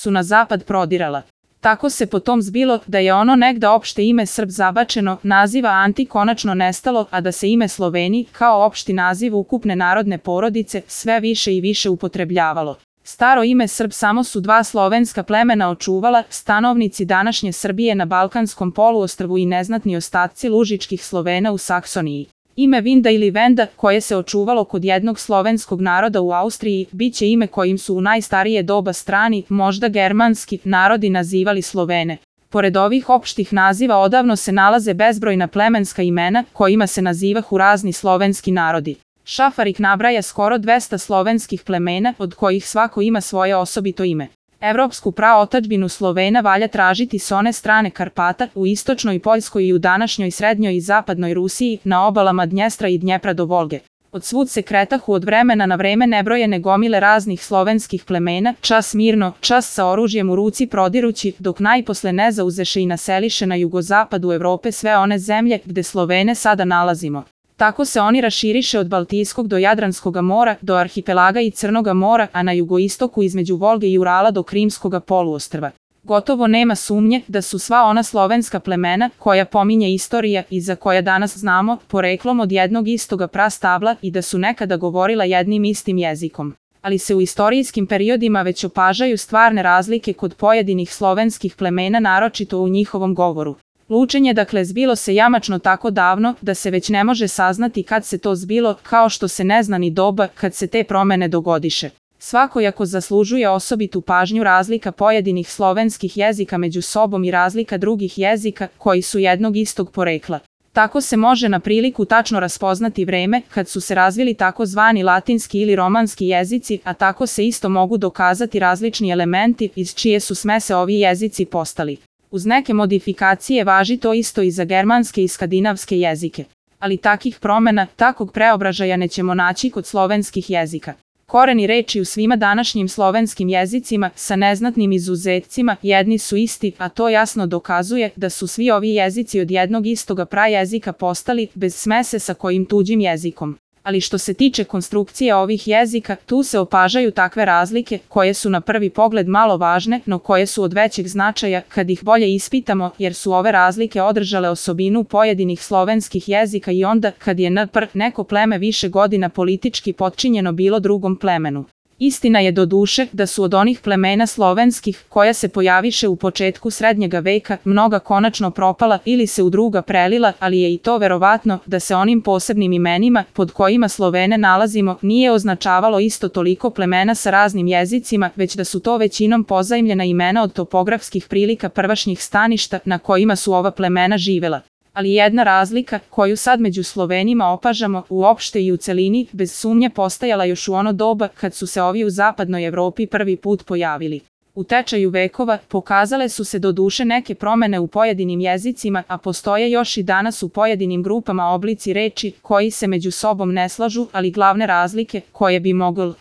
su na zapad prodirala. Tako se potom zbilo da je ono negda opšte ime Srb zabačeno, naziva Anti konačno nestalo, a da se ime Sloveni, kao opšti naziv ukupne narodne porodice, sve više i više upotrebljavalo. Staro ime Srb samo su dva slovenska plemena očuvala, stanovnici današnje Srbije na Balkanskom poluostrvu i neznatni ostaci lužičkih Slovena u Saksoniji. Ime Vinda ili Venda, koje se očuvalo kod jednog slovenskog naroda u Austriji, biće ime kojim su u najstarije doba strani, možda germanski, narodi nazivali Slovene. Pored ovih opštih naziva odavno se nalaze bezbrojna plemenska imena, kojima se nazivahu razni slovenski narodi. Šafarik nabraja skoro 200 slovenskih plemena, od kojih svako ima svoje osobito ime. Evropsku praotadžbinu Slovena valja tražiti s one strane Karpata, u istočnoj Poljskoj i u današnjoj srednjoj i zapadnoj Rusiji, na obalama Dnjestra i Dnjepra do Volge. Od svud se kretahu od vremena na vreme nebrojene gomile raznih slovenskih plemena, čas mirno, čas sa oružjem u ruci prodirući, dok najposle ne zauzeše i naseliše na jugozapadu Evrope sve one zemlje gde Slovene sada nalazimo. Tako se oni raširiše od Baltijskog do Jadranskoga mora, do arhipelaga i Crnoga mora, a na jugoistoku između Volge i Urala do Krimskoga poluostrva. Gotovo nema sumnje da su sva ona slovenska plemena, koja pominje istorija i za koja danas znamo, poreklom od jednog istoga prastabla i da su nekada govorila jednim istim jezikom. Ali se u istorijskim periodima već opažaju stvarne razlike kod pojedinih slovenskih plemena, naročito u njihovom govoru. Lučenje dakle zbilo se jamačno tako davno da se već ne može saznati kad se to zbilo, kao što se ne zna ni doba kad se te promene dogodiše. Svakojako zaslužuje osobitu pažnju razlika pojedinih slovenskih jezika među sobom i razlika drugih jezika koji su jednog istog porekla. Tako se može na priliku tačno raspoznati vreme kad su se razvili takozvani latinski ili romanski jezici, a tako se isto mogu dokazati različni elementi iz čije su smese ovi jezici postali. Uz neke modifikacije važi to isto i za germanske i skandinavske jezike. Ali takih promena, takvog preobražaja nećemo naći kod slovenskih jezika. Koreni reči u svima današnjim slovenskim jezicima, sa neznatnim izuzecima, jedni su isti, a to jasno dokazuje da su svi ovi jezici od jednog istoga prajezika postali, bez smese sa kojim tuđim jezikom. Ali što se tiče konstrukcije ovih jezika, tu se opažaju takve razlike, koje su na prvi pogled malo važne, no koje su od većeg značaja kad ih bolje ispitamo, jer su ove razlike održale osobinu pojedinih slovenskih jezika i onda kad je neko pleme više godina politički potčinjeno bilo drugom plemenu. Istina je doduše da su od onih plemena slovenskih, koja se pojaviše u početku srednjega veka, mnoga konačno propala ili se u druga prelila, ali je i to verovatno da se onim posebnim imenima, pod kojima Slovene nalazimo, nije označavalo isto toliko plemena sa raznim jezicima, već da su to većinom pozajmljena imena od topografskih prilika prvašnjih staništa na kojima su ova plemena živela. Ali jedna razlika, koju sad među Slovenima opažamo, uopšte i u celini, bez sumnje postajala još u ono doba kad su se ovi u zapadnoj Evropi prvi put pojavili. U tečaju vekova pokazale su se doduše neke promene u pojedinim jezicima, a postoje još i danas u pojedinim grupama oblici reči koji se među sobom ne slažu, ali glavne razlike, koje bi mogli